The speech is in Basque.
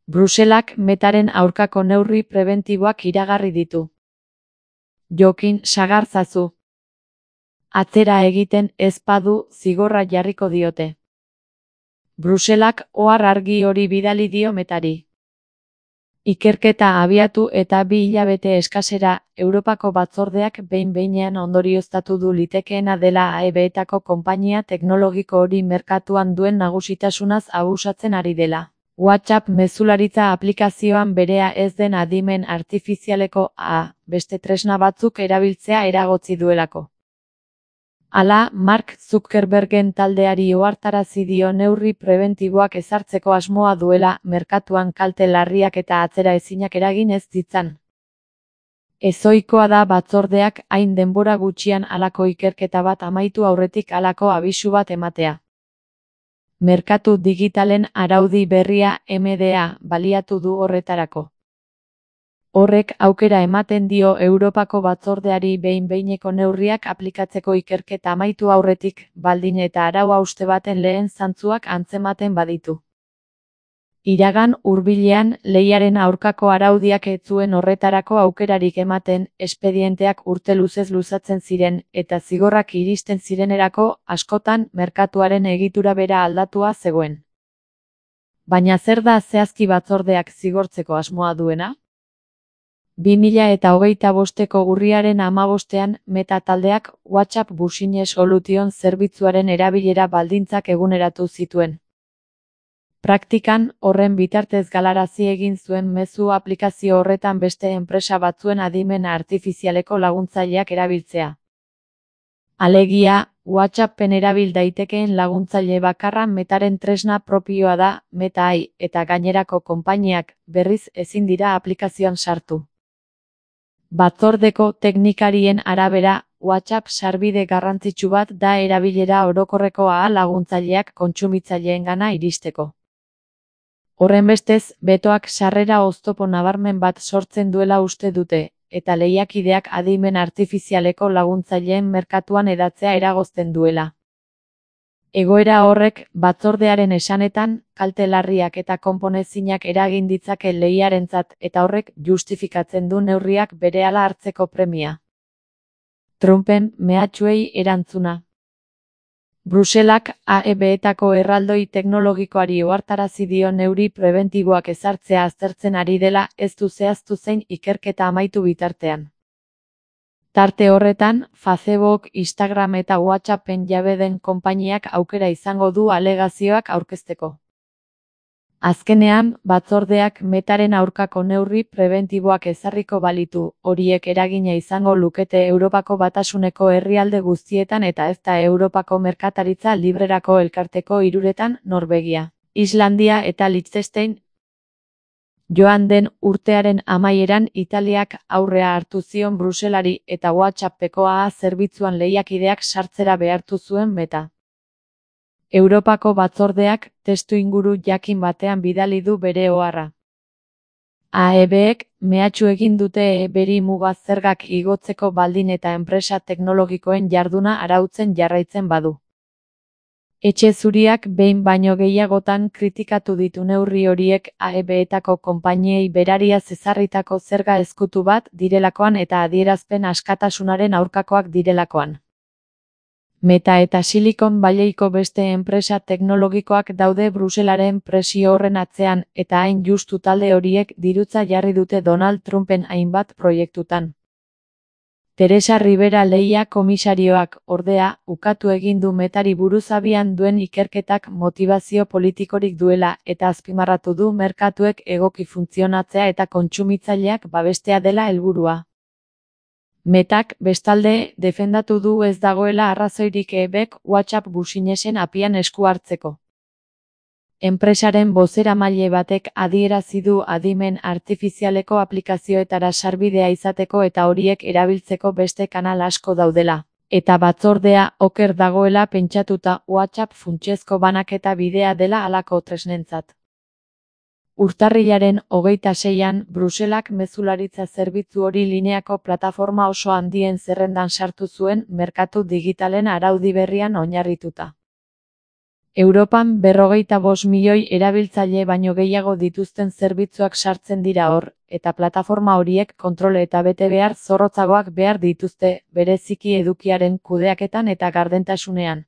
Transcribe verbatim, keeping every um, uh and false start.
Bruselak Metaren aurkako neurri prebentiboak iragarri ditu. Jokin sagartzazu. Atzera egiten ez badu zigorra jarriko diote. Bruselak ohar argi hori bidali dio Metari. Ikerketa abiatu eta bi hilabete eskasera, Europako batzordeak behin-behinean ondorioztatu du litekeena dela A E B-etako konpainia teknologiko hori merkatuan duen nagusitasunaz abusatzen ari dela. WhatsApp mezularitza aplikazioan berea ez den adimen artifizialeko A, beste tresna batzuk erabiltzea eragotzi duelako. Hala, Mark Zuckerbergen taldeari ohartarazi dio neurri prebentiboak ezartzeko asmoa duela, merkatuan kalte larriak eta atzeraezinak eragin ez ditzan. Ezohikoa da batzordeak hain denbora gutxian halako ikerketa bat amaitu aurretik halako abisu bat ematea. Merkatu digitalen araudi berria M D A baliatu du horretarako. Horrek aukera ematen dio Europako batzordeari behin-behineko neurriak aplikatzeko ikerketa amaitu aurretik, baldin eta arau hauste baten lehen zantzuak antzematen baditu. Iragan hurbilean lehiaren aurkako araudiak ez zuen horretarako aukerarik ematen, espedienteak urte luzez luzatzen ziren, eta zigorrak iristen zirenerako askotan merkatuaren egitura bera aldatua zegoen. Baina zer da zehazki batzordeak zigortzeko asmoa duena? bi mila eta hogeita bosteko urriaren hamabostean, Meta taldeak WhatsApp Business Solution zerbitzuaren erabilera baldintzak eguneratu zituen. Praktikan, horren bitartez galarazi egin zuen mezu aplikazio horretan beste enpresa batzuen adimen artifizialeko laguntzaileak erabiltzea. Alegia, WhatsAppen erabil daitekeen laguntzaile bakarra Metaren tresna propioa da, Meta A I, eta gainerako konpainiak, berriz ezin dira aplikazioan sartu. Batzordeko teknikarien arabera, WhatsApp sarbide garrantzitsu bat da erabilera orokorreko A I laguntzaileak kontsumitzaileengan iristeko. Horrenbestez, betoak sarrera oztopo nabarmen bat sortzen duela uste dute, eta lehiakideak adimen artifizialeko laguntzaileen merkatuan hedatzea eragozten duela. Egoera horrek, batzordearen esanetan, kalte larriak eta konponezinak eragin ditzake lehiarentzat eta horrek justifikatzen du neurriak berehala hartzeko premia. Trumpen mehatxuei erantzuna. Bruselak A E B-etako erraldoi teknologikoari ohartarazi dio neurri prebentiboak ezartzea aztertzen ari dela, ez du zehaztu zein ikerketa amaitu bitartean. Tarte horretan, Facebook, Instagram eta WhatsAppen jabe den konpainiak aukera izango du alegazioak aurkezteko. Azkenean, batzordeak Metaren aurkako neurri prebentiboak ezarriko balitu, horiek eragina izango lukete Europako Batasuneko herrialde guztietan eta ez da Europako Merkataritza Librerako elkarteko hiruretan, Norvegia, Islandia eta Liechtenstein. Joan den urtearen amaieran Italiak aurrea hartu zion Bruselari eta WhatsAppeko A A zerbitzuan lehiakideak sartzera behartu zuen Meta. Europako batzordeak testu inguru jakin batean bidali du bere oharra. A E B-ek mehatxu egin dute E B-ri muga zergak igotzeko baldin eta enpresa teknologikoen jarduna arautzen jarraitzen badu. Etxe Zuriak behin baino gehiagotan kritikatu ditu neurri horiek A E B-etako konpainiei berariaz ezarritako zerga ezkutu bat direlakoan eta adierazpen askatasunaren aurkakoak direlakoan. Meta eta Silicon Valleyko beste enpresa teknologikoak daude Bruselaren presio horren atzean, eta hain justu talde horiek dirutza jarri dute Donald Trumpen hainbat proiektutan. Teresa Ribera lehia komisarioak, ordea, ukatu egin du Metari buruz abian duen ikerketak motibazio politikorik duela, eta azpimarratu du merkatuek egoki funtzionatzea eta kontsumitzaileak babestea dela helburua. Metak, bestalde, defendatu du ez dagoela arrazoirik E B-ek WhatsApp Businesen apian esku hartzeko. Enpresaren bozeramaile batek adierazi du adimen artifizialeko aplikazioetara sarbidea izateko eta horiek erabiltzeko beste kanal asko daudela, eta batzordea oker dagoela pentsatuta WhatsApp funtsezko banaketa bidea dela halako tresnentzat. Urtarrilaren hogeita seian, Bruselak mezularitza zerbitzu hori lineako plataforma oso handien zerrendan sartu zuen merkatu digitalen araudi berrian oinarrituta. Europan berrogeita bost milioi erabiltzaile baino gehiago dituzten zerbitzuak sartzen dira hor, eta plataforma horiek kontrol eta betebehar zorrotzagoak behar dituzte, bereziki edukiaren kudeaketan eta gardentasunean.